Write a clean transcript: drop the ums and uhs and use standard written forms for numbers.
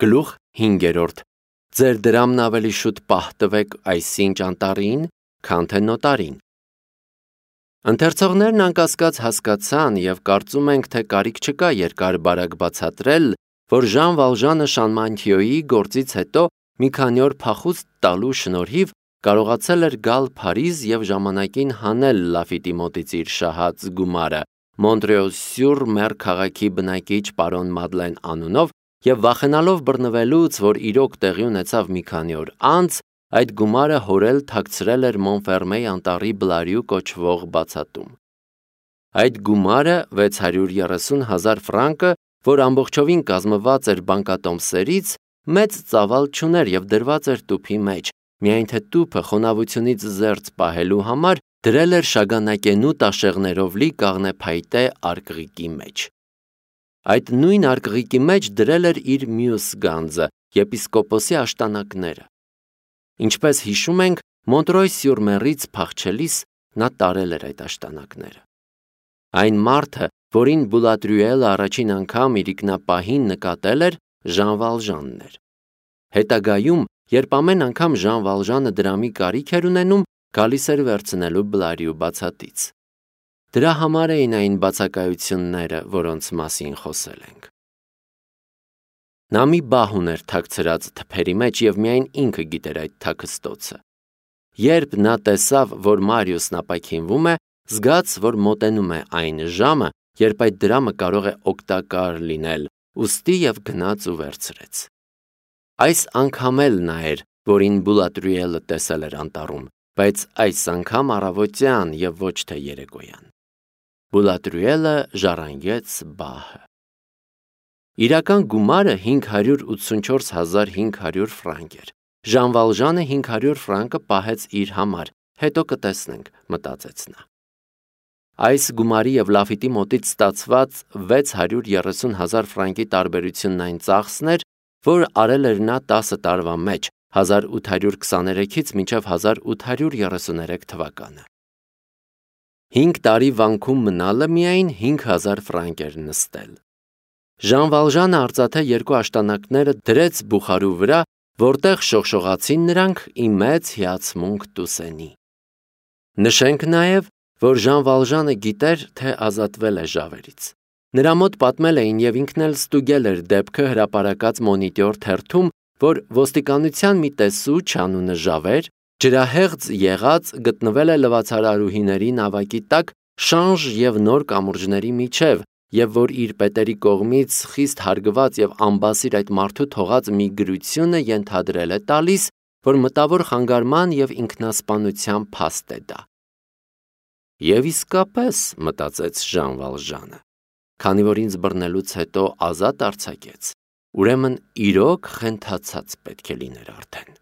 Գլուխ 5. Ձեր դրամն ավելի շուտ պահ տվեք այսինչ անտառին, քան թե նոտարին։ Ընթերցողներն անկասկած հասկացան և կարծում ենք, թե կարիք չկա երկար-բարակ բացատրել, որ Ժան Վալժանը Շանմանթիոյի գործից հետո մի քանի օր փախուստ տալու շնորհիվ կարողացել էր գալ Փարիզ և ժամանակին հանել Լաֆիտի մոտից իր շահած գումարը Մոնտրեոլ-սյուր-Մեր քաղաքի բնակիչ պարոն Մադլեն անունով և վախենալով բռնվելուց, որ իրոք տեղի ունեցավ մի քանի օր անց, այդ գումարը հորել թաքցրել էր Մոնֆերմեի անտառի Բլարյու կոչվող բացատում։ Այդ գումարը 630,000 ֆրանկը, որ ամբողջովին կազմված էր բանկատոմսերից, մեծ ծավալ չուներ և դրված էր տուփի մեջ, միայն թե տուփը խոնավությունից զերծ պահելու համար դրել էր շագանակենու տաշեղներով լի կաղնեփայտե արկղիկի մեջ։ Այդ նույն արկղիկի մեջ դրել էր իր մյուս գանձը՝ եպիսկոպոսի աշտանակները։ Ինչպես հիշում ենք, Մոնտրոյ-սյուր-Մերից փախչելիս նա տարել էր այդ աշտանակները։ Այն մարդը, որին Բուլատրյուելը առաջին անգամ իրիկնապահին նկատել էր, Ժան Վալժանն էր։ Հետագայում, երբ ամեն անգամ Ժան Վալժանը դրամի կարիք էր ունենում, գալիս էր վերցնելու Բլարյու բացատից։ Դրա համար էին այն բացակայությունները, որոնց մասին խոսել ենք։ Նա մի բահ ուներ թաքցրած թփերի մեջ և միայն ինքը գիտեր այդ թաքստոցը։ Երբ նա տեսավ, որ Մարիուսն ապաքինվում է, զգաց, որ մոտենում է այն ժամը, երբ այդ դրամը կարող է օգտակար լինել, ուստի և գնաց ու վերցրեց։ Այս անգամ էլ նա էր, որին Բուլատրյուելը տեսել էր անտառում, բայց այս անգամ առավոտյան և ոչ թե երեկոյան։ Բուլատրյուելը ժառանգեց բահը։ Իրական գումարը 584,500 ֆրանկ էր։ Ժան Վալժանը 500 ֆրանկը պահեց իր համար, հետո կտեսնենք, մտածեց նա։ Այս գումարի և Լաֆիտի մոտից ստացված 630,000 ֆրանկի տարբերությունն այն ծախսն էր, որ արել էր նա 10 տարվա մեջ, 1823-ից մինչև 1833 թվականը։ 5 տարի վանքում մնալը միայն 5,000 ֆրանկ էր նստել։ Ժան Վալժանը արծաթե 2 աշտանակները դրեց բուխարու վրա, որտեղ շողշողացին նրանք ի մեծ հիացմունք Տուսենի։ Նշենք նաև, որ Ժան Վալժանը գիտեր, թե ազատվել է ժավերից։ Նրա մոտ պատմել էին և ինքն էլ ստուգել էր դեպքը հրապարակած Մոնիտոր թերթում, որ ոստիկանության մի տեսուչ անունը Ժավեր, ջրահեղձ եղած գտնվել է լվացարարուհիների նավակի տակ շանժ և նոր կամուրջների միջև և որ իր պետերի կողմից խիստ հարգված և անբասիր այդ մարդու թողած մի գրությունը ենթադրել է տալիս, որ մտավոր խանգարման և ինքնասպանության փաստ է դա։ Եվ իսկապես, մտածեց Ժան Վալժանը, քանի որ ինձ բռնելուց հետո ազատ արձակեց, ուրեմն իրոք խենթացած պետք է լիներ արդեն։